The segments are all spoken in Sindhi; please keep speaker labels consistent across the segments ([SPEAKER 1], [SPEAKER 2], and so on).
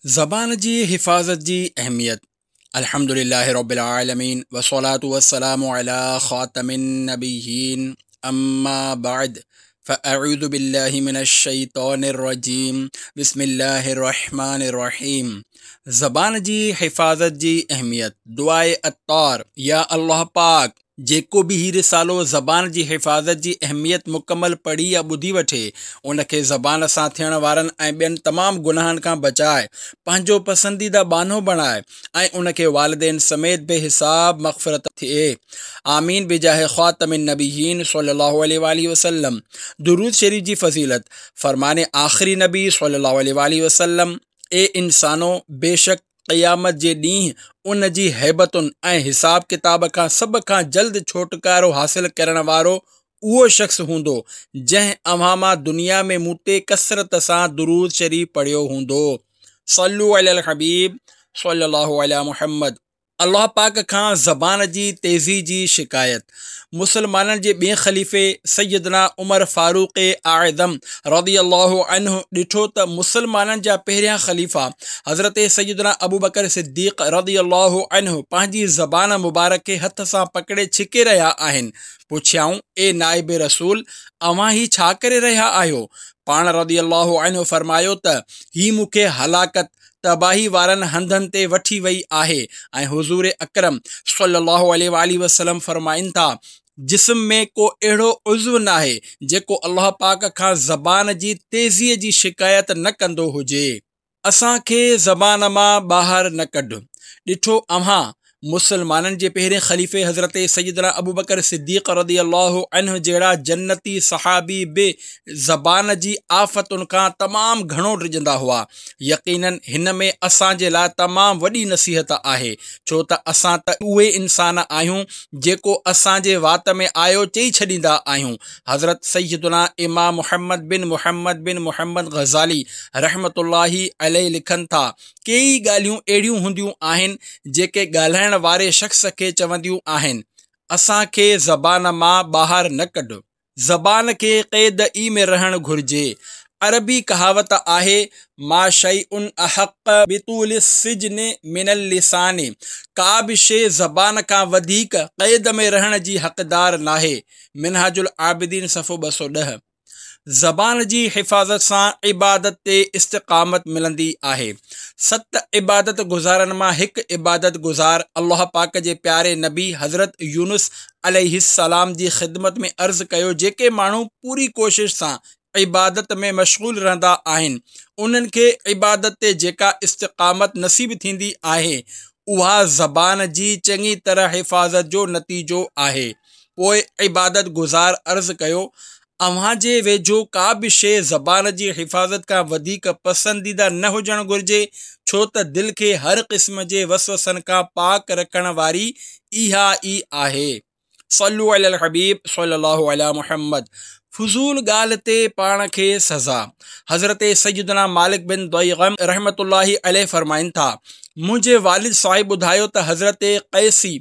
[SPEAKER 1] زبان جي حفاظت جي اهميت الحمد لله رب العالمين والصلاة والسلام على خاتم النبيين اما بعد فاعوذ بالله من الشيطان الرجيم بسم الله الرحمن الرحيم زبان جي حفاظت جي اهميت دعاء عطار يا الله پاڪ جيڪو به هي رسالو زبان جي حفاظت جي اهميت مڪمل پڙهي يا ٻڌي وٺي، ان کي زبان سان ٿيڻ وارن ۽ ٻين تمام گناهن کان بچائي، پنهنجو پسنديده ٻانهو بڻائي ۽ ان کي والدين سميت بي حساب مغفرت ٿئي. آمين بجاه خاتم النبيين صلي الله عليه واٰله وسلم. درود شريف جي فضيلت، فرمان آخري نبي صلي الله عليه واٰله وسلم، اي انسانو! بيشڪ قيامت جي ڏينهن ان جي هيبتن ۽ حساب ڪتاب کان سڀ کان جلد ڇوٽڪارو حاصل ڪرڻ وارو اهو شخص هوندو جنهن اوهان مان دنيا ۾ مون تي ڪثرت سان درود شريف پڙهيو هوندو. صلو علي الحبيب صلي الله علي محمد. الله پاڪ کان زبان جي تيزي جي شڪايت مسلمانن جي ٻئين خليفي سيدنا عمر فاروق اعظم رضي الله عنه ڏٺو ته مسلمانن جا پهريان خليفا حضرت سيدنا ابوبڪر صديق رضي الله عنه پنهنجي زبان مبارڪ کي هٿ سان پڪڙي ڇڪي رهيا آهن. پڇيائون، اي نائب رسول! اوهان هي ڇا ڪري رهيا آهيو؟ پاڻ رضي الله عنه فرمايو ته هي مون کي هلاڪت، تباهي وارن هنڌن تي وٺي وئي آهي ۽ حضور اڪرم صلي الله عليه واٰله وسلم فرمائن ٿا، جسم ۾ ڪو اهڙو عضو ناهي جيڪو الله پاڪ کان زبان جي تيزيء جي شڪايت نه ڪندو هجي. اسان کي زبان مان ٻاهر نه ڪڍ. ڏٺو اوهان مسلمانن جي پهرين خليفي حضرت سيدنا ابوبڪر صديق رضي الله عنه جهڙا جنتي صحابي به زبان جي آفتن کان تمام گهڻو ڊڄندا هئا. يقيناً هن ۾ اسان جي لاء تمام وڏي نصيحت آهي، ڇو ته اسان ته اهي انسان آهيون جيڪو اسان جي وات ۾ آيو چئي ڇڏيندا آهيون. حضرت سيدنا امام محمد بن محمد بن محمد غزالي رحمة الله عليه لکن ٿا، ڪيئي ڳالهيون اهڙيون هونديون آهن جيڪي ڳالهائڻ واري شخص کي چونديون آهن، اسان کي زبان مان ٻاهر نه ڪڍ. زبان کي قيد ئي ۾ رهڻ گهرجي. عربي ڪهاوت آهي، ما شيء احق بطول السجن من اللسان ڪا به شيء زبان کان وڌيڪ قيد ۾ رهڻ جي حقدار ناهي. منهاج العابدين صفحو 210. زبان جي حفاظت سان عبادت تي استقامت ملندي آهي. ست عبادت گذارن مان هڪ عبادت گذار الله پاڪ جي پياري نبي حضرت يونس عليه السلام جي خدمت ۾ عرض ڪيو جيڪي ماڻهو پوري ڪوشش سان عبادت ۾ مشغول رهندا آهن انهن کي عبادت تي جيڪا استقامت نصيب ٿيندي آهي اها زبان جي چڱي طرح حفاظت جو نتيجو آهي. پوء عبادت گذار عرض ڪيو، اوهان جي ويجهو ڪا به شيء زبان جي حفاظت کان وڌيڪ پسنديده نه هجڻ گهرجي، ڇو ته دل کي هر قسم جي وسوسن کان پاڪ رکڻ واري اها ئي آهي. صلو علی الحبيب صلي الله علي محمد فضول ڳالهه تي پاڻ کي سزا حضرت سيدنا مالڪ بن ضيغم رحمة الله عليه فرمائن ٿا، منهنجي والد صاحب ٻڌايو ته حضرت قيسي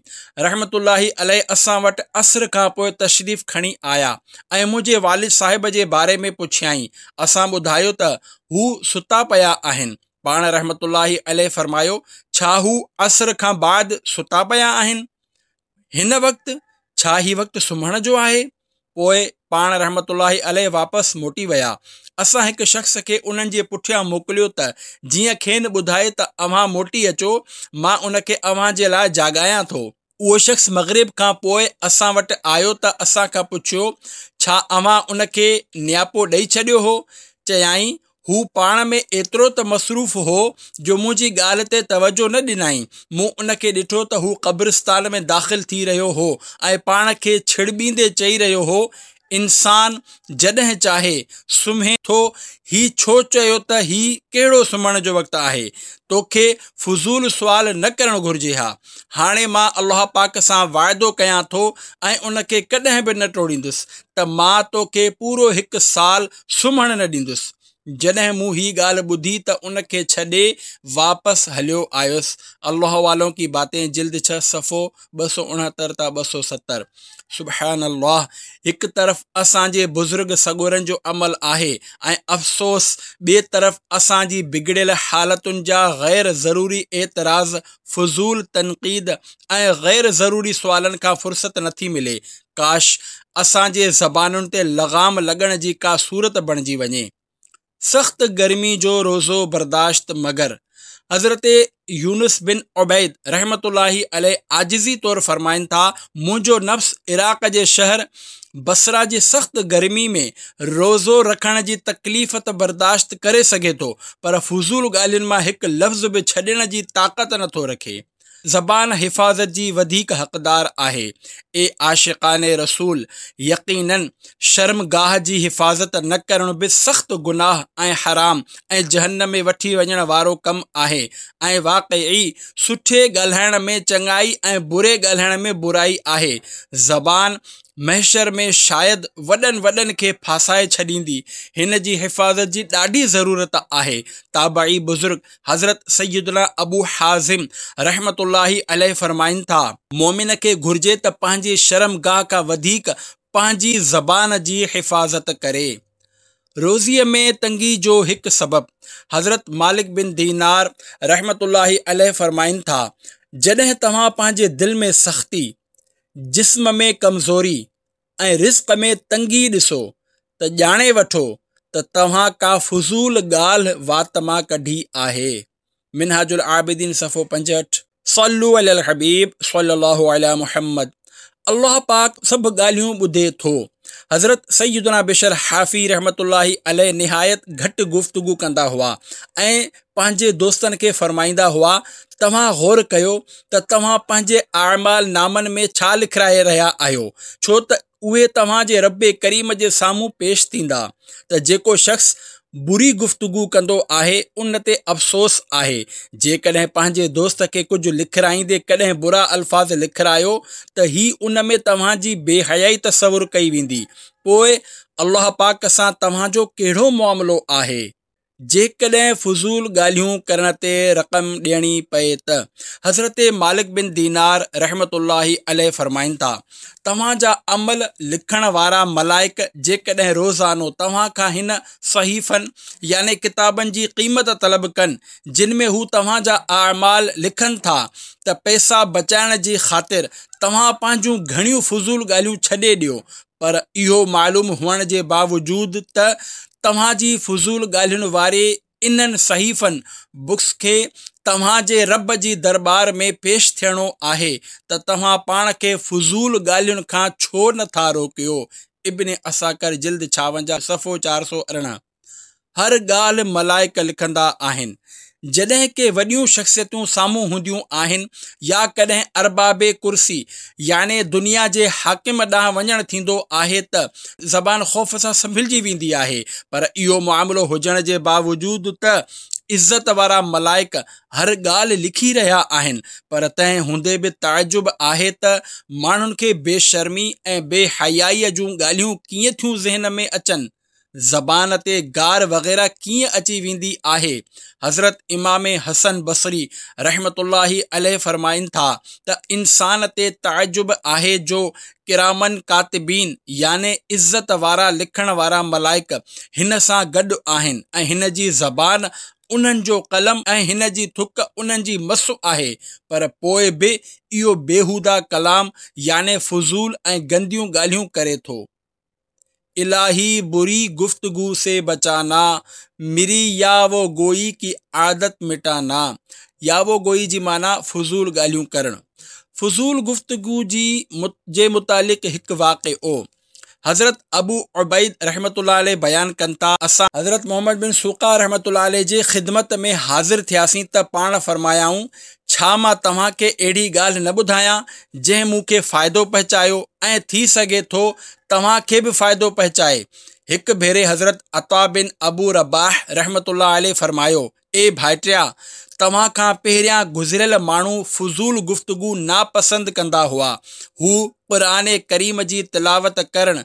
[SPEAKER 1] رحمة الله عليه اسان وٽ عصر کان پوء تشريف کڻي آيا ۽ منهنجي والد صاحب جي باري ۾ پڇيائين، اسان ٻڌايو ته هو ستا پيا آهن، پاڻ رحمة الله عليه فرمايو، ڇا هو عصر کان بعد ستا پيا آهن؟ هن وقت ڇا هي وقت سمهڻ جو آهي؟ پوء پاڻ رحمة الله عليه واپس موٽي ويا. اسان هڪ شخص کي انهن جي پٺيان موڪليو ته جيئن کين ٻڌائي ته اوهان موٽي اچو، مان ان کي اوهان جي لاء جاڳايان ٿو. اهو شخص مغرب کان پوء اسان وٽ آيو ته اسان کان پڇيو، ڇا اوهان ان کي نياپو ڏئي ڇڏيو هو؟ چيائين، هو پاڻ ۾ ايترو ته مصروف هو جو منهنجي ڳالهه تي توجهه نه ڏنائين. مون ان کي ڏٺو ته هو قبرستان ۾ داخل ٿي رهيو هو ۽ پاڻ کي ڇڙٻيندي چئي رهيو هو، انسان جڏهن چاهي سمهي ٿو، هي ڇو چيو ته هي ڪهڙو سمهڻ جو وقت آهي؟ توکي فضول سوال نه ڪرڻ گهرجي ها. هاڻي مان الله پاڪ سان واعدو ڪيان ٿو ۽ ان کي ڪڏهن به نه ٽوڙيندس ته مان توکي پورو هڪ سال سمهڻ نه ڏيندس. جڏهن مون هي ڳالهه ٻڌي ته ان کي ڇڏي واپس هليو آيس. الله والون ڪي باتين جلد ڇهه صفحو 269 تا 270. سبحان الله هڪ طرف اسان جي بزرگ سڳورن جو عمل آهي ۽ افسوس ٻئي طرف اسان جي بگڙيل حالتن جا غير ضروري اعتراض، فضول تنقيد ۽ غير ضروري سوالن کان فرصت نٿي ملي. ڪاش اسان جي زبانن تي لغام لڳڻ جي ڪا صورت بڻجي وڃي. سخت گرمي جو روزو برداشت مگر حضرت يونس بن عبيد رحمة الله عليه عاجزي طور فرمائن ٿا، منهنجو نفس عراق جي شهر بصره جي سخت گرمي ۾ روزو رکڻ جي تڪليف ته برداشت ڪري سگهي ٿو پر فضول ڳالهين مان هڪ لفظ به ڇڏڻ جي طاقت نٿو رکي. زبان حفاظت جي وڌيڪ حقدار آهي. اي عاشقان رسول! يقيناً شرمگاهه جي حفاظت نه ڪرڻ به سخت گناهه ۽ حرام ۽ جهنم ۾ وٺي وڃڻ وارو ڪم آهي ۽ واقعي سٺي ڳالهائڻ ۾ چڱائي ۽ بري ڳالهائڻ ۾ برائي آهي. زبان محشر ۾ شايد وڏن وڏن کي ڦاسائي ڇڏيندي. هن جي حفاظت جي ڏاڍي ضرورت آهي. تابعي بزرگ حضرت سيدنا ابو حازم رحمة الله عليه فرمائن ٿا، مؤمن کي گهرجي ته پنهنجي شرمگاهه کان وڌيڪ پنهنجي زبان جي حفاظت ڪري. روزيء ۾ تنگي جو هڪ سبب، حضرت مالڪ بن دينار رحمة الله عليه فرمائن ٿا، جڏهن توهان پنهنجي دل ۾ سختي، جسم ۾ ڪمزوري ۽ رزق ۾ تنگي ڏسو ته ڄاڻي وٺو ته توهان ڪا فضول ڳالهه وات مان ڪڍي آهي. منهاج العابدين صفحو 65. صلو علي الحبيب صلي الله علي محمد الله پاڪ سڀ ڳالهيون ٻڌي ٿو. حضرت سيدنا بشر حافي رحمة الله عليه نهايت گهٽ گفتگو ڪندا هئا ۽ پنهنجي دوستن کي فرمائيندا هئا، توهان غور ڪيو ته توهان پنهنجي اعمال نامن ۾ ڇا لکرائي رهيا آهيو، ڇو ته اهي توهان جي رب ڪريم جي سامهون پيش ٿيندا ته جيڪو شخص بري گفتگو ڪندو آهي ان تي افسوس آهي، جيڪڏهن پنهنجي دوست کي ڪجهه لکرائيندي ڪڏهن برا الفاظ لکرايو ته هي ان ۾ توهان جي بي حيائي تصور ڪئي ويندي، پوء الله پاڪ سان توهان جو ڪهڙو معاملو آهي؟ جيڪڏهن فضول ڳالهيون ڪرڻ تي رقم ڏيڻي پئي ته حضرت مالڪ بن دينار رحمة الله عليه فرمائن ٿا، توهان جا عمل لکڻ وارا ملائڪ جيڪڏهن روزانو توهان کان هن صحيفن يعني ڪتابن جي قيمت طلب ڪن جن ۾ هو توهان جا اعمال لکن ٿا ته پئسا بچائڻ جي خاطر توهان پنهنجون گهڻيون فضول ڳالهيون ڇڏي ڏيو پر اهو معلوم هئڻ جي باوجود ته توهان جي فضول ڳالهين واري انهن صحيفن، بڪس، کي توهان جي رب جي درٻار ۾ پيش ٿيڻو آهي ته توهان پاڻ کي فضول ڳالهين کان ڇو نه ٿا روڪيو؟ ابن عساڪر جلد 56 صفحو 418. هر ڳالهه ملائڪ لکندا آهن. جڏهن ڪي وڏيون شخصيتون سامهون هونديون آهن يا ڪڏهن ارباب ڪرسي يعني دنيا جي حاڪم ڏانهن وڃڻ ٿيندو آهي ته زبان خوف سان سنڀلجي ويندي آهي پر اهو معاملو هجڻ جي باوجود ته عزت وارا ملائڪ هر ڳالهه لکي رهيا آهن پر تنهن هوندي به تعجب آهي ته ماڻهن کي بي شرمي ۽ بي حيائيء جون ڳالهيون ڪيئن ٿيون ذهن ۾ اچن؟ زبان تي گار وغيره ڪيئن اچي ويندي آهي؟ حضرت امام حسن بصري رحمة الله عليه فرمائن ٿا ته انسان تي تعجب آهي جو ڪراماً ڪاتبين يعني عزت وارا لکڻ وارا ملائڪ هن سان گڏ آهن ۽ هن جي زبان انهن جو قلم ۽ هن جي ٿڪ انهن جي مس آهي پر پوء به اهو بيهوده ڪلام يعني فضول ۽ گنديون ڳالهيون ڪري ٿو. الٰهي بري گفتگو سي بچانا مري ياوه گوئي ڪي عادت مٽانا ياوه گوئي جي معنيٰ فضول ڳالهيون ڪرڻ. فضول گفتگو جي جي متعلق هڪ واقعو حضرت ابو عبيد رحمة الله عليه بيان ڪن ٿا، اسان حضرت محمد بن سوقه رحمة الله عليه جي خدمت ۾ حاضر ٿياسين ته پاڻ فرمايائون، ڇا مان توهان کي اهڙي ڳالهه نه ٻڌايان جنهن مون کي فائدو پهچايو ۽ ٿي سگهي ٿو توهان کي به فائدو پهچائي. هڪ ڀيري حضرت عطا بن ابو رباح رحمة الله عليه فرمايو، اي ڀائٽيا! توهان کان پهريان گذريل ماڻهو فضول گفتگو ناپسند ڪندا هئا. هو قرآن ڪريم جي تلاوت ڪرڻ،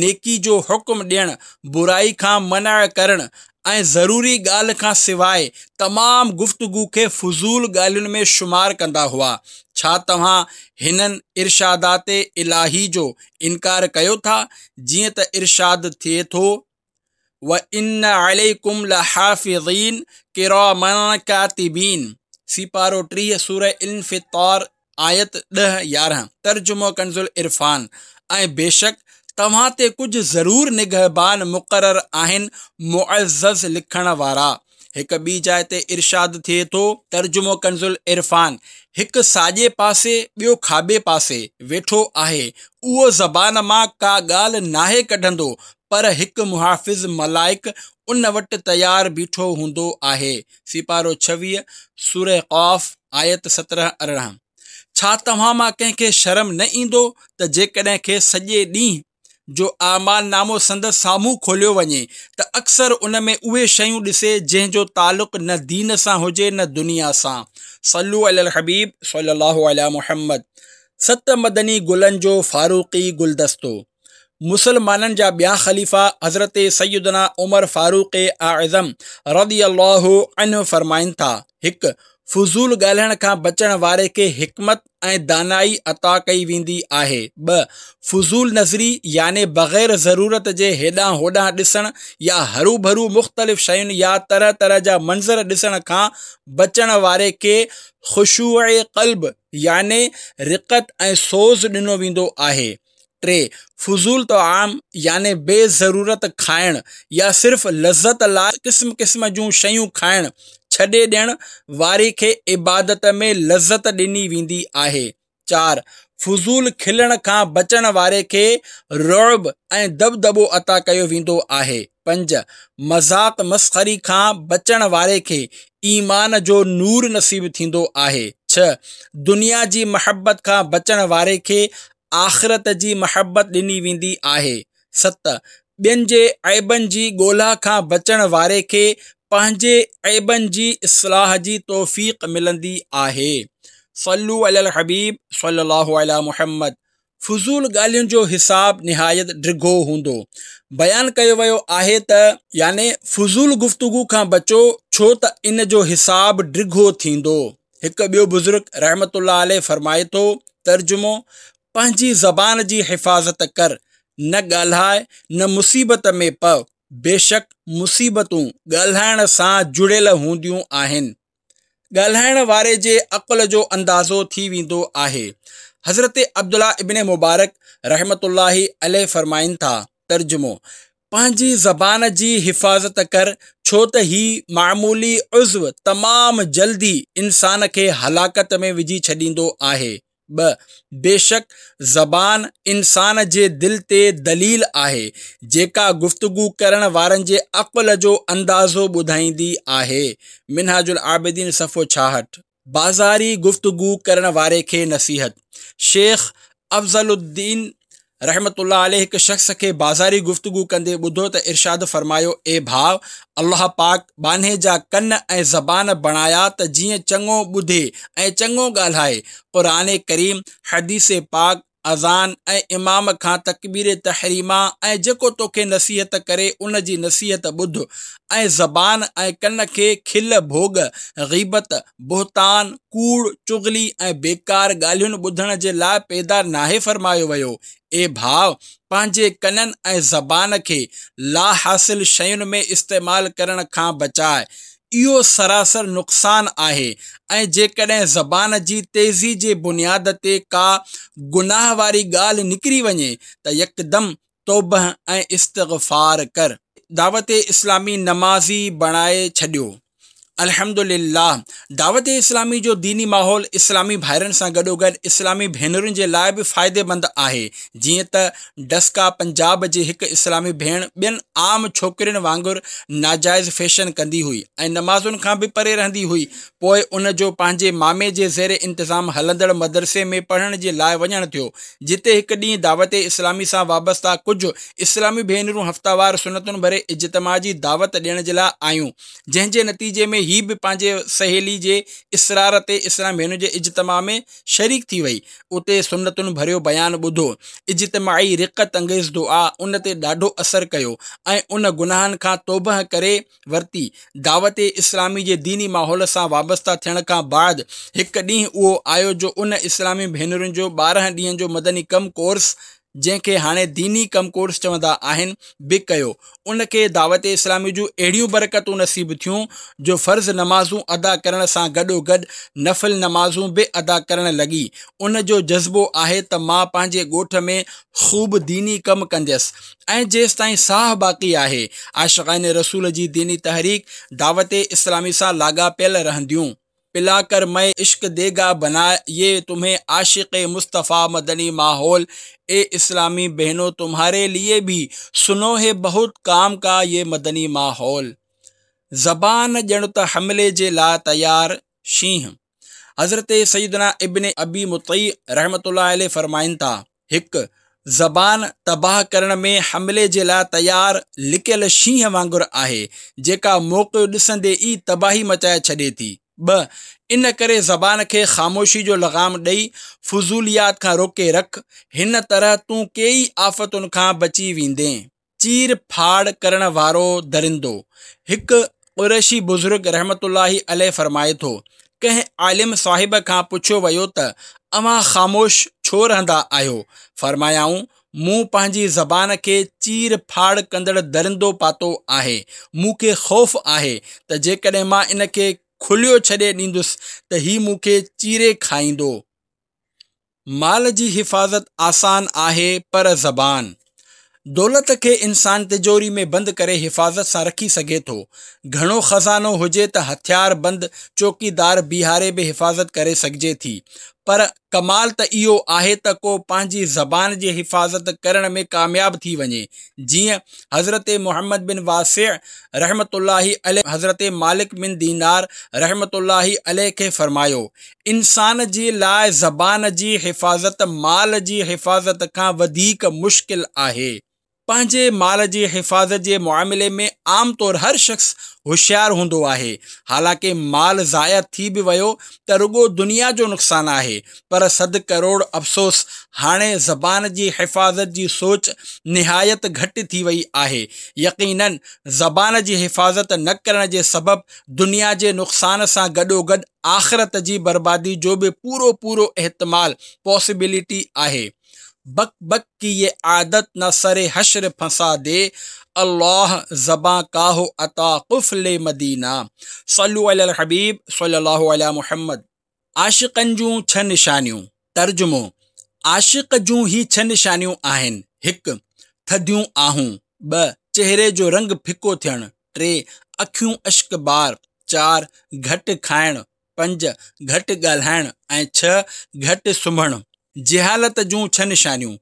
[SPEAKER 1] نيڪي جو حڪم ڏيڻ، برائي کان منع ڪرڻ ۽ ضروري ڳالهه کان سواء تمام گفتگو کي فضول ڳالهين ۾ شمار ڪندا هئا. ڇا توهان هنن ارشادات الاهي جو انڪار ڪيو ٿا؟ جيئن ته ارشاد ٿئي ٿو، وَإِنَّ عَلَيْكُمْ لَحَافِظِينَ ڪِرَامًا ڪاتبين، سيپارو 30 سورة انفطار آيت 10، 11، ترجمو ڪنزالعرفان، ۽ بيشڪ توهان تي ڪجهه ضرور نگهبان مقرر آهن معزز لکڻ وارا. هڪ ٻي جاء تي ارشاد ٿئي ٿو. ترجمو ڪنزالعرفان، هڪ ساڄي پاسي ٻيو کاٻي پاسي، ويٺو آهي، اهو زبان مان ڪا ڳالهه ناهي ڪڍندو پر هڪ محافظ ملائڪ ان وٽ تيار بيٺو هوندو آهي. سيپارو 26، سوره قاف، آيت 17، 18. ڇا توهان مان ڪنهن کي شرم نه ايندو ته جيڪڏهن کيس سڄي ڏينهن جو اعمال نامو سندس سامهون کوليو وڃي ته اڪثر ان ۾ اهي شيون ڏسي جنهن جو تعلق نه دين سان هجي نه دنيا سان. صلو علي الحبيب صلي الله علي محمد. ست مدني گلن جو فاروقي گلدستو. مسلمانن جا ٻيا خليفا حضرت سيدنا عمر فاروق اعظم رضي الله عنه فرمائن ٿا، هڪ. فضول ڳالهائڻ کان بچڻ واري کي حڪمت ۽ دانائي عطا ڪئي ويندي آهي. ٻه. فضول نظري يعني بغير ضرورت جي هيڏانهن هوڏانهن ڏسڻ يا هروڀرو مختلف شين يا طرح طرح جا منظر ڏسڻ کان بچڻ واري کي خشوع قلب يعني رقت ۽ سوز ڏنو ويندو آهي. 3. فضول طعام يعني بي ضرورت کائڻ يا صرف لذت لاء قسم قسم جون شيون کائڻ ڇڏي ڏيڻ واري کي عبادت ۾ لذت ڏني ويندي آهي. 4. فضول کلڻ کان بچڻ واري کي رعب ۽ دٻدٻو عطا ڪيو ويندو آهي. 5. مذاق مسخري کان بچڻ واري کي ايمان جو نور نصيب ٿيندو آهي. 6. دنيا جي محبت کان بچڻ واري کي آخرت جي محبت ڏني ويندي آهي. 7. ٻين جي عيبن جي ڳولا کان بچڻ واري کي پنهنجي عيبن جي اصلاح جي توفيق ملندي آهي. صلو علي الحبيب صلي الله علي محمد. فضول ڳالهين جو حساب نهايت ڊگهو هوندو. بيان ڪيو ويو آهي ته. يعني فضول گفتگو کان بچو ڇو ته ان جو حساب ڊگهو ٿيندو. هڪ ٻيو بزرگ رحمة الله عليه فرمائي ٿو، ترجمو، پنهنجي زبان جي حفاظت ڪر، نه ڳالهاء نه مصيبت ۾ پء، بيشڪ مصيبتون ڳالهائڻ سان جڙيل هونديون آهن. ڳالهائڻ واري جي عقل جو اندازو ٿي ويندو آهي. حضرت عبدالله ابن مبارڪ رحمة الله عليه فرمائن ٿا، ترجمو، پنهنجي زبان جي حفاظت ڪر ڇو ته هي معمولي عضو تمام جلدي انسان کي هلاڪت ۾ وجهي ڇڏيندو آهي. 2. بيشڪ زبان انسان جي دل تي دليل آهي جيڪا گفتگو ڪرڻ وارن جي عقل جو اندازو ٻڌائيندي آهي. منهاج العابدين صفحو 66. بازاري گفتگو ڪرڻ واري کي نصيحت. شيخ افضل الدين رحمة الله عليه هڪ شخص کي بازاري گفتگو ڪندي ٻڌو ته ارشاد فرمايو، اي ڀاء! الله پاڪ ٻانهي جا ڪن ۽ زبان بڻايا ته جيئن چڱو ٻڌي ۽ چڱو ڳالهائي. قرآن ڪريم، حديث پاڪ، اذان ۽ امام کان تڪبير تحريمه ۽ جيڪو توکي نصيحت ڪري ان جي نصيحت ٻڌ ۽ زبان ۽ ڪن کي کل ڀوڳ، غيبت، بهتان، ڪوڙ، چغلي ۽ بيڪار ڳالهين ٻڌڻ جي لاء پيدا ناهي فرمايو ويو. اي ڀاء! پنهنجي ڪنن ۽ زبان کي لاحاصل شين ۾ استعمال ڪرڻ کان بچاء. اهو سراسر نقصان آهي ۽ جيڪڏهن زبان جي تيزي جي بنياد تي ڪا گناهه واري ڳالهه نڪري وڃي ته يڪدم توبه ۽ استغفار ڪر. دعوت اسلامي نمازي بڻائي ڇڏيو. الحمدلله دعوت اسلامي جو ديني ماحول اسلامي ڀائرن سان گڏوگڏ اسلامي ڀينرن جي لاء به فائديمند آهي جيئن ته ڊسڪا پنجاب جي هڪ اسلامي ڀيڻ ٻين عام ڇوڪرين وانگر ناجائز فيشن ڪندي هئي ۽ نمازن کان به پري رهندي هئي پوء ان جو پنهنجي مامي جي زير انتظام هلندڙ مدرسي ۾ پڙهڻ جي لاء وڃڻ ٿيو جتي هڪ ڏينهن دعوت اسلامي سان وابسته ڪجهه اسلامي ڀينرون هفتيوار سنتن ڀري اجتماع جي دعوت ڏيڻ جي لاء آيون جنهن جي نتيجي ۾ هي به پنهنجي سهيلي جي اصرار تي اسلامي ڀينرن جي اجتماع ۾ شريڪ ٿي وئي. اتي سنتن ڀريو بيان ٻڌو. اجتماعي رقت انگيز دعا ان تي ڏاڍو اثر ڪيو ۽ ان گناهن کان توبهه ڪري ورتي. دعوت اسلامي جي ديني ماحول سان وابسته ٿيڻ کان بعد هڪ ڏينهن اهو آيو جو ان اسلامي ڀينرن جو 12 ڏينهن جو مدني ڪم ڪورس جنهن کي هاڻي ديني ڪم ڪورس چوندا آهن، به ڪيو. ان کي دعوت اسلامي جون اهڙيون برڪتون نصيب ٿيون جو فرض نمازون ادا ڪرڻ سان گڏوگڏ نفل نمازون به ادا ڪرڻ لڳي. ان جو جذبو آهي ته مان پنهنجي ڳوٺ ۾ خوب ديني ڪم ڪنديس ۽ جيستائين ساهه باقي آهي عاشقان رسول جي ديني تحريڪ دعوت اسلامي سان لاڳاپيل رهنديون. پلا ڪر مئي عشق ديگا بنا يي تمهين عاشق مصطفيٰ مدني ماحول اي اسلامي بهنو تمهاري ليي ڀي سنو هي بهت ڪام ڪا يي مدني ماحول زبان ڄڻ ته حملي جي لاء تيار شينهن حضرت سيدنا ابن ابي مطيع رحمة الله عليه فرمائن ٿا، هڪ، زبان تباهه ڪرڻ ۾ حملي جي لاء تيار لڪيل شينهن وانگر آهي، جيڪا موقعو ڏسندي ئي تباهي مچائي ڇڏي ٿي. ٻه، ان ڪري زبان کي خاموشي جو لغام ڏئي فضوليات کان روڪي رک، هن طرح تون ڪيئي آفتن کان بچي ويندين. چير ڦاڙ ڪرڻ وارو درندو. هڪ قريشي بزرگ رحمة الله عليه فرمائي ٿو، ڪنهن عالم صاحب کان پڇيو ويو ته اوهان خاموش ڇو رهندا آهيو؟ فرمايائون، مون پنهنجي زبان کي چير ڦاڙ ڪندڙ درندو پاتو آهي، مون کي خوف آهي ته جيڪڏهن مان ان کي کليو ڇڏي ڏيندس ته هي مون کي چيري کائيندو. مال جي حفاظت آسان آهي پر زبان. دولت کي انسان تجوري ۾ بند ڪري حفاظت سان رکي سگهي ٿو. گهڻو خزانو هجي ته هٿيار بند چوڪيدار بيهاري به حفاظت ڪري سگهجي ٿي. پر ڪمال ته اهو آهي ته ڪو پنهنجي زبان جي حفاظت ڪرڻ ۾ ڪامياب ٿي وڃي. جيئن حضرت محمد بن واسع رحمة الله عليه حضرت مالڪ بن دينار رحمة الله عليه کي فرمايو، انسان جي لاء زبان جي حفاظت مال جي حفاظت کان وڌيڪ مشڪل آهي. پنهنجي مال جي حفاظت جي معاملي ۾ عام طور هر شخص هوشيار هوندو آهي، حالانڪه مال ضايع ٿي به ويو ته رڳو دنيا جو نقصان آهي، پر صد ڪروڙ افسوس هاڻي زبان جي حفاظت جي سوچ نهايت گهٽ ٿي وئي آهي. يقيناً زبان جي حفاظت نه ڪرڻ جي سبب دنيا جي نقصان سان گڏوگڏ آخرت جي بربادي جو به پورو پورو احتمال، Possibility، آهي. بڪ بڪ ڪي يه عادت نه سر حشر ڦنسا the الله زبان ڪا هو عطا قفل مدينه صلو علي الحبيب صلي الله علي محمد. عاشقن جون ڇهه نشانيون. ترجمو، عاشق جون هي ڇهه نشانيون آهن، هڪ. ٿڌيون آهون. ٻه. چهري جو رنگ ڦڪو ٿيڻ. ٽي. اکيون اشڪبار. چار. گهٽ کائڻ. پنج. گهٽ ڳالهائڻ ۽ ڇهه. گهٽ سمهڻ. جهالت جون ڇهه نشانيون،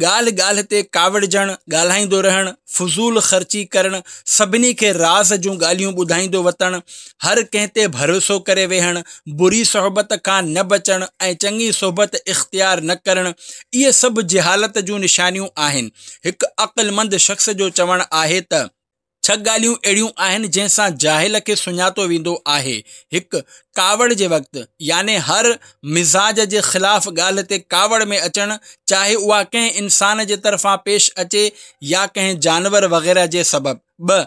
[SPEAKER 1] ڳالهه ڳالهه تي ڪاوڙجڻ، ڳالهائيندو رهڻ، فضول خرچي ڪرڻ، سڀني کي راز جون ڳالهيون ٻڌائيندو وتڻ، هر ڪنهن تي ڀروسو ڪري ويهڻ، بري صحبت کان نه بچڻ ۽ چڱي صحبت اختيار نه ڪرڻ، اهي سڀ جهالت جون نشانيون آهن. هڪ عقلمند شخص جو چوڻ آهي ته. ڇهه ڳالهيون اهڙيون آهن جنهن سان جاهل کي سڃاتو ويندو آهي. هڪ، ڪاوڙ جي وقت، يعني هر مزاج جي خلاف ڳالهه تي ڪاوڙ ۾ اچڻ، چاهي اها ڪنهن انسان جي طرفان پيش اچي يا ڪنهن جانور وغيره جي سبب. ٻه،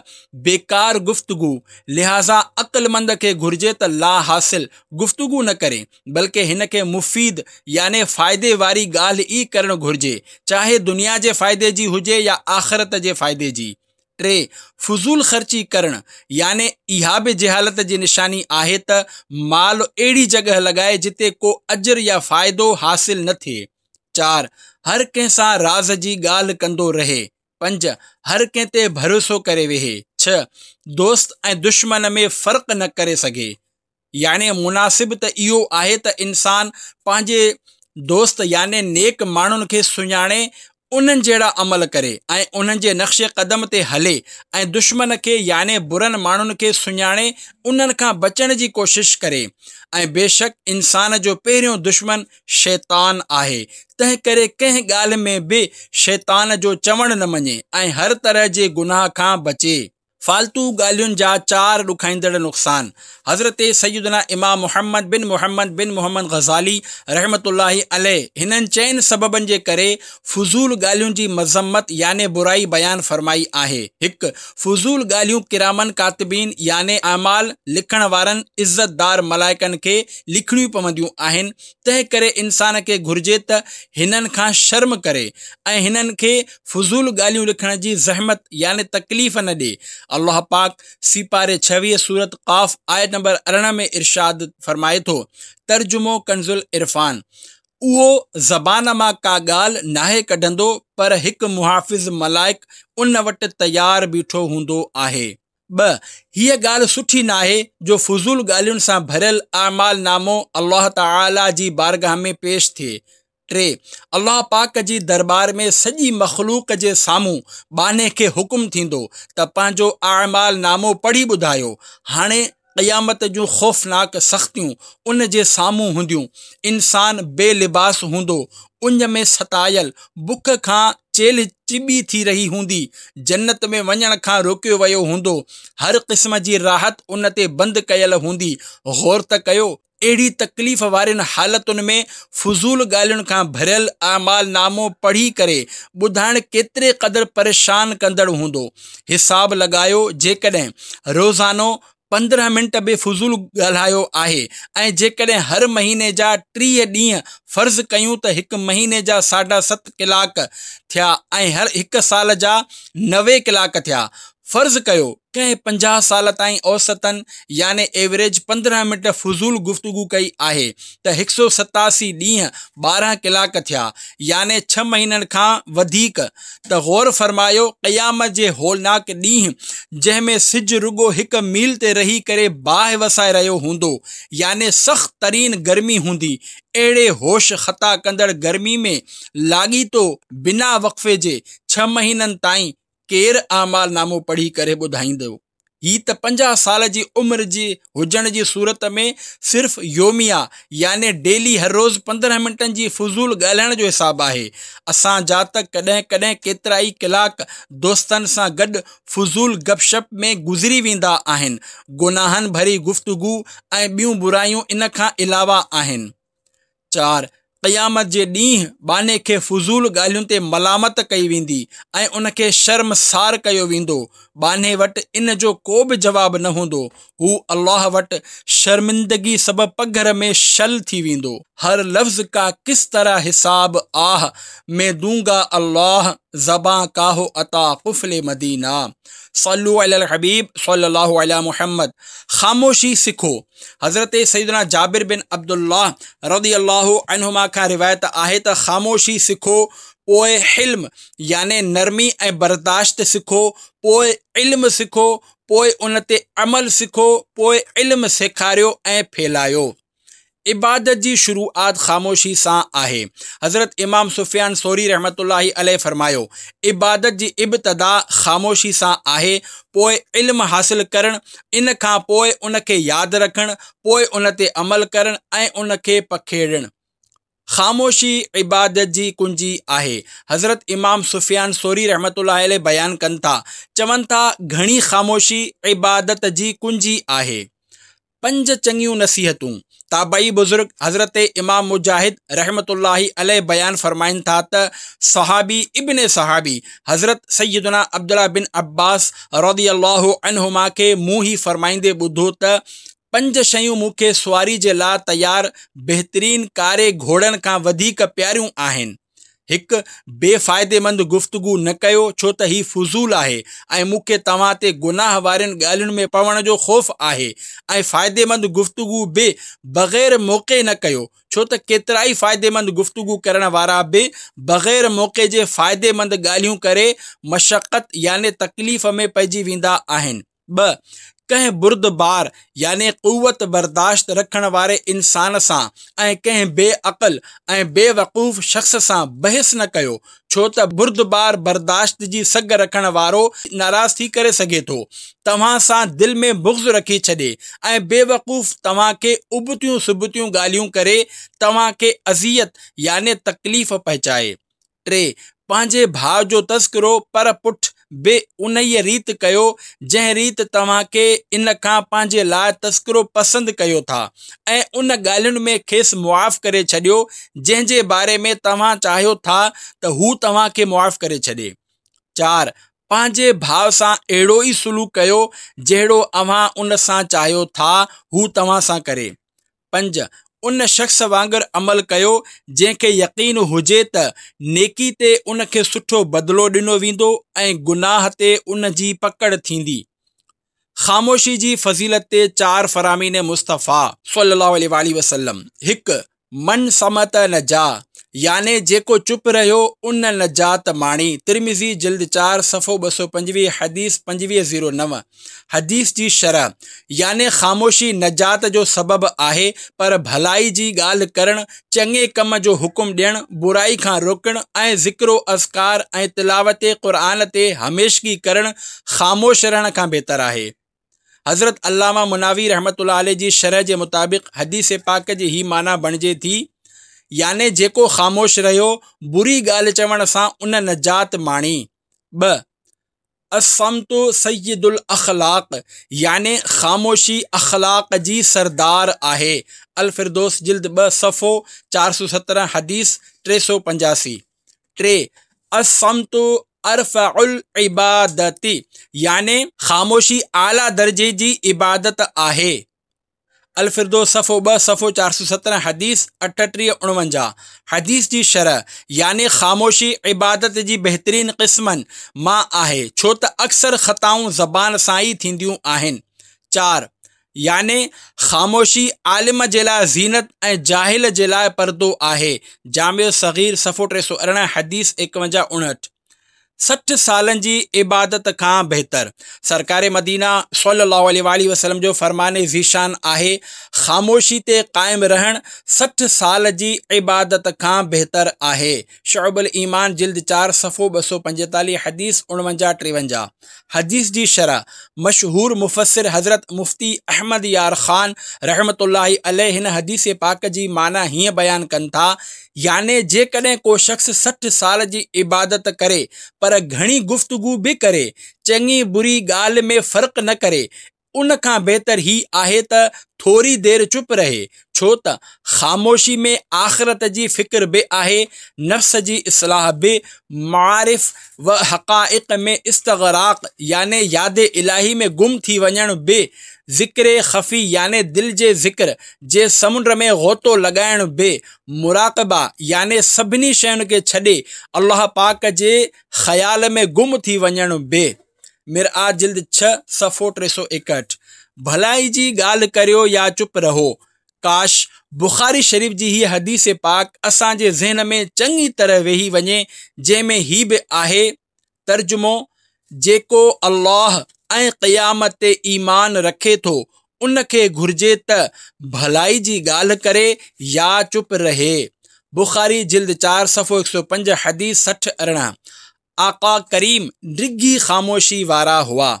[SPEAKER 1] بيڪار گفتگو، لهٰذا عقلمند کي گهرجي ته لاحاصل گفتگو نه ڪري، بلڪه هن کي مفيد يعني فائدي واري ڳالهه ئي ڪرڻ گهرجي، چاهي دنيا جي فائدي جي هجي يا آخرت جي فائدي جي. ٽي، فضول خرچي ڪرڻ، يعني اها به جهالت جي نشاني آهي ته مال اهڙي جڳهه لڳائي جتي ڪو اجر يا فائدو حاصل نه ٿئي. چار، هر ڪنهن سان راز جي ڳالهه ڪندو رهي. پنج، هر ڪنهن تي ڀروسو ڪري ويهي. ڇهه، دوست ۽ دشمن ۾ فرق نه ڪري سگهي. يعني مناسب ته اهو آهي ته انسان پنهنجي دوست يعني نيڪ ماڻهن کي سڃاڻي انهن جهڙا عمل ڪري ۽ انهن جي نقش قدم تي هلي ۽ دشمن کي يعني برن ماڻهن کي سڃاڻي انهن کان بچڻ جي ڪوشش ڪري ۽ بيشڪ انسان جو پهريون دشمن شيطان آهي تنهن ڪري ڪنهن ڳالهه ۾ به شيطان جو چوڻ نه مڃي ۽ هر طرح جي گناهه کان بچي. فالتو ڳالهين جا چار ڏکائيندڙ نقصان، حضرت سيدنا امام محمد بن محمد بن محمد غزالي رحمة الله عليه هنن چئن سببن جي ڪري فضول ڳالهين جي مذمت يعني برائي بيان فرمائي آهي، هڪ. فضول ڳالهيون ڪراماً ڪاتبين يعني اعمال لکڻ وارن عزت دار ملائڪن کي لکڻيون پونديون آهن، تنهن ڪري انسان کي گهرجي ته هنن کان شرم ڪري ۽ هنن کي فضول ڳالهيون لکڻ جي زحمت يعني تڪليف نه ڏي. الله پاڪ سيپاري 26 سورت قاف آيت نمبر 18 ۾ ارشاد فرمائي ٿو، ترجمو ڪنزالعرفان، اهو زبان مان ڪا ڳالهه ناهي ڪڍندو پر هڪ محافظ ملائڪ ان وٽ تيار بيٺو هوندو آهي. ٻه، هيء ڳالهه سٺي ناهي جو فضول ڳالهين سان ڀريل اعمال نامو الله تعاليٰ جي بارگاهه ۾ پيش ٿئي. ٽي، الله پاڪ جي درٻار ۾ سڄي مخلوق جي سامهون ٻانهي کي حڪم ٿيندو ته پنهنجو اعمال نامو پڙهي ٻڌايو. هاڻي قيامت جون خوفناڪ سختيون ان جي سامهون هونديون. انسان بي لباس هوندو، اڃ ۾ ستايل، بک کان چيلهه چٻي ٿي رهي هوندي، جنت ۾ وڃڻ کان روڪيو ويو هوندو، هر قسم جي راحت ان تي بند ڪيل هوندي، غور ته ڪيو! اهڙي تڪليف وارين حالتن ۾ فضول ڳالهين کان ڀريل اعمال نامو پڙهي ڪري ٻڌائڻ ڪيتري قدر پريشان ڪندڙ هوندو. حساب لڳايو جيڪڏهن روزانو 15 منٽ به فضول ڳالهايو آهي ۽ جيڪڏهن هر مهيني جا 30 ڏينهن فرض ڪيون ته هڪ مهيني جا ساڍا ست ڪلاڪ ٿيا ۽ هر هڪ سال جا 90 ڪلاڪ ٿيا. فرض ڪيو ڪنهن 50 سال تائين اوسطاً يعني ايوريج 15 منٽ فضول گفتگو ڪئي آهي ته هڪ سو 87 ڏينهن 12 ڪلاڪ ٿيا يعني ڇهه مهينن کان وڌيڪ ته غور فرمايو قيامت جي هولناڪ ڏينهن جنهن ۾ سج رڳو هڪ ميل تي رهي ڪري باهه وسائي رهيو هوندو يعني سخت ترين گرمي هوندي اهڙي هوش خطا ڪندڙ گرمي ۾ لاڳيتو بنا وقفي جي ڇهه مهينن تائين ڪير اعمال نامو پڙهي ڪري ٻڌائيندو؟ هي ته 50 سال جي عمر جي هجڻ جي صورت ۾ صرف يوميه يعني ڊيلي هر روز 15 منٽن جي فضول ڳالهائڻ جو حساب آهي. اسان جا ته ڪڏهن ڪڏهن ڪيترائي ڪلاڪ دوستن سان گڏ فضول گپ شپ ۾ گذري ويندا آهن. گناهن ڀري گفتگو ۽ ٻيون برايون ان کان علاوه آهن. 4، قيامت جي ڏينهن ٻانهي کي فضول ڳالهين تي ملامت ڪئي ويندي ۽ ان کي شرمسار ڪيو ويندو. ٻانهي وٽ ان جو ڪو به جواب نه هوندو. هو الله وٽ شرمندگي سبب پگهر ۾ شل ٿي ويندو. هر لفظ ڪا ڪس طرح حساب آه مين دونگا الله زبان ڪا هو عطا قفل مدينه صلو علي الحبيب صلي الله علي محمد خاموشي سکو. حضرت سيدنا جابر بن عبدالله رضي الله عنهما کان روايت آهي ته خاموشي سکو پوء حلم يعني نرمي ۽ برداشت سکو پوء علم سکو پوء ان تي عمل سکو پوء علم سيکاريو ۽ ڦهلايو. عبادت جي شروعات خاموشي سان آهي. حضرت امام سفيان ثوري رحمة الله عليه فرمايو، عبادت جي ابتدا خاموشي سان آهي، پوء علم حاصل ڪرڻ، ان کان پوء ان کي ياد رکڻ، پوء ان تي عمل ڪرڻ ۽ ان کي پکيڙڻ. خاموشي عبادت جي ڪنجي آهي. حضرت امام سفيان ثوري رحمة الله عليه بيان ڪن ٿا، چون ٿا، گهڻي خاموشي عبادت جي ڪنجي آهي. پنج چڱيون نصيحتون، تابعي بزرگ حضرت امام مجاهد رحمة الله عليه بيان فرمائن ٿا ته صحابي ابن صحابي حضرت سيدنا عبدالله بن عباس رضي الله عنهما کي مون هي فرمائيندي ٻڌو ته پنج شيون مون کي سواري جي لاء تيار بهترين ڪاري گهوڙن کان وڌيڪ پياريون آهن. هڪ، بي فائديمند گفتگو نه ڪيو ڇو ته هي فضول آهي ۽ مون کي توهان تي گناهه وارين ڳالهين ۾ پوڻ جو خوف آهي ۽ فائديمند گفتگو به بغير موقعي نه ڪيو ڇو ته ڪيترائي فائديمند گفتگو ڪرڻ وارا به بغير موقعي جي فائديمند ڳالهيون ڪري مشقت يعني تڪليف ۾ پئجي ويندا آهن. ٻه، ڪنهن بردبار يعني قوت برداشت رکڻ واري انسان سان ۽ ڪنهن بي عقل ۽ بي وقوف شخص سان بحث نه ڪيو، ڇو ته بردبار برداشت جي سگهه رکڻ وارو ناراض ٿي ڪري سگهي ٿو، توهان سان دل ۾ بغض رکي ڇڏي ۽ بي وقوف توهان کي ابتيون سبتيون ڳالهيون ڪري توهان کي اذيت يعني تڪليف پهچائي. ٽي، پنهنجي ڀاء جو تذڪرو پر پٺ به انهيء ريت ڪيو، جنهن ريت توهان کي ان کان پنهنجي لاء تذڪرو پسند ڪيو ٿا ۽ ان ڳالهين ۾ کيس معاف ڪري ڇڏيو، جنهن جي باري ۾ توهان چاهيو ٿا ته هو توهان کي معاف ڪري ڇڏي. چار. پنهنجي ڀاء سان اهڙو ئي سلوڪ ڪيو، جهڙو اوهان ان سان چاهيو ٿا هو توهان سان ڪري. پنج، ان شخص وانگر عمل ڪيو جنهن کي يقين هجي ته نيڪي تي ان کي سٺو بدلو ڏنو ويندو ۽ گناهه تي ان جي پڪڙ ٿيندي. خاموشي جي فضيلت تي چار فرامين مصطفيٰ، صلي الله عليه واٰله وسلم، هڪ، من صمت نجا، يعني جيڪو چپ رهيو ان نجات ماڻي، ترمذي جلد چار صفحو 225 حديث 2509، حديث جي شرح، يعني خاموشي نجات جو سبب آهي پر ڀلائي جي ڳالهه ڪرڻ، چڱي ڪم جو حڪم ڏيڻ، برائي کان روڪڻ ۽ ذڪر و اذڪار ۽ تلاوت قرآن تي هميشگي ڪرڻ خاموش رهڻ کان بهتر آهي. حضرت علامه مناوي رحمة الله عليه جي شرح جي مطابق حديث پاڪ جي هي معنيٰ بڻجي ٿي، يعني جيڪو خاموش رهيو، بري ڳالهه چوڻ سان ان نجات ماڻي. ٻه. الصمت سيد الاخلاق يعني خاموشي اخلاق جي سردار آهي. الفردوس جلد ٻه صفحو 417 حديث 385. ٽي. الصمت ارفع العبادة يعني خاموشي اعليٰ درجي جي عبادت آهي. الفردوس صفحو ٻه صفحو 417 حديث 38 49 حديث جي شرح، يعني خاموشي عبادت جي بهترين قسمن مان آهي ڇو ته اڪثر خطائون زبان سان ئي ٿينديون آهن. چار. يعني خاموشي عالم جي لاء زينت ۽ جاهل جي لاء پردو آهي. جامع الصغير صفحو 318 حديث 51 59. 60 سالن جي عبادت کان بهتر. سرڪار مدينه صلي الله عليه واٰله وسلم جو فرمان ذيشان آهي، خاموشي تي قائم رهڻ 60 سال جي عبادت کان بهتر آهي. شعب الايمان جلد چار صفحو 245 حديث 49 53. حديث جي شرح، مشهور مفسر حضرت مفتي احمد يار خان رحمة الله عليه هن حديث پاڪ جي معنيٰ هيئن بيان ڪن ٿا، يعني جيڪڏهن ڪو شخص 60 سال جي عبادت ڪري پر گهڻي گفتگو به ڪري، چڱي بري ڳالهه ۾ فرق نه ڪري، ان کان بهتر هي آهي ته ٿوري دير چپ رهي، ڇو ته خاموشي ۾ آخرت جي فڪر به آهي، نفس جي اصلاح به، معارف و حقائق ۾ استغراق يعني ياد الاهي ۾ گم ٿي وڃڻ به، ذڪر خفي يعني دل جي ذڪر جي سمنڊ ۾ غوطو لڳائڻ به، مراقبه يعني سڀني شين کي ڇڏي الله پاڪ جي خيال ۾ گم ٿي وڃڻ به. مرآة جلد ڇهه صفحو 361. ڀلائي جي ڳالهه ڪريو يا چپ رهو. ڪاش! بخاري شريف جي هيء حديث پاڪ اسان جي ذهن ۾ چڱي طرح ويهي وڃي جنهن ۾ هي به آهي، ترجمو، جيڪو الله ۽ قيامت تي ايمان رکي ٿو ان کي گهرجي ته ڀلائي جي ڳالهه ڪري يا چپ رهي. بخاري جلد چار صفحو 105 حديث 60 18. آقا ڪريم ڊگهي خاموشي وارا هئا.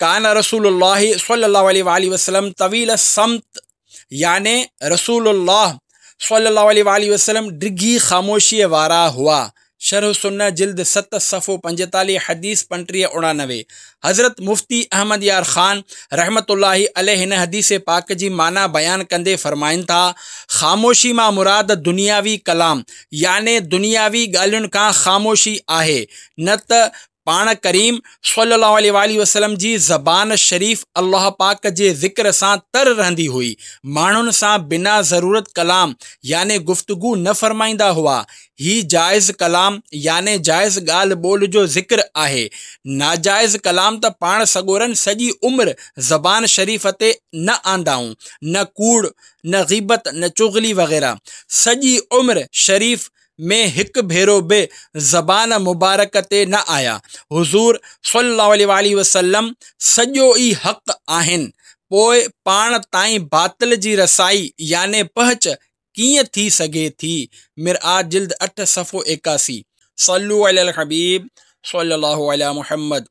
[SPEAKER 1] ڪان رسول الله صلي الله عليه واٰله وسلم طويل الصمت يعني رسول الله صلي الله عليه واٰله وسلم ڊگهي خاموشيء وارا هئا. شرح السنة جلد ست صفحو 45 حديث 35 89. حضرت مفتي احمد يار خان رحمة الله عليه هن حديث پاڪ جي معنيٰ بيان ڪندي فرمائن ٿا، خاموشي مان مراد دنياوي ڪلام يعني دنياوي ڳالهين کان خاموشي آهي نه ته پاڻ ڪريم صلّي الله عليه واٰله وسلّم جي زبان شريف الله پاڪ جي ذڪر سان تر رهندي هئي، ماڻهن سان بنا ضرورت ڪلام يعني گفتگو نه فرمائيندا هئا، هي جائز ڪلام يعني جائز ڳالهه ٻولهه جو ذڪر آهي، ناجائز ڪلام ته پاڻ سڳورن سڄي عمر زبان شريف تي نه آندائون، نه ڪوڙ، نه غيبت، نه چغلي وغيره، سڄي عمر شريف ۾ هڪ ڀيرو به زبان مبارڪ تي نه آيا. حضور صلي الله عليه واٰله وسلم سڄو ئي حق آهن، پوء پاڻ تائين باطل جي رسائي يعني پهچ ڪيئن ٿي سگهي ٿي؟ مرآة جلد اٺ صفحو 81. صلو علی الحبيب صلي الله علي محمد.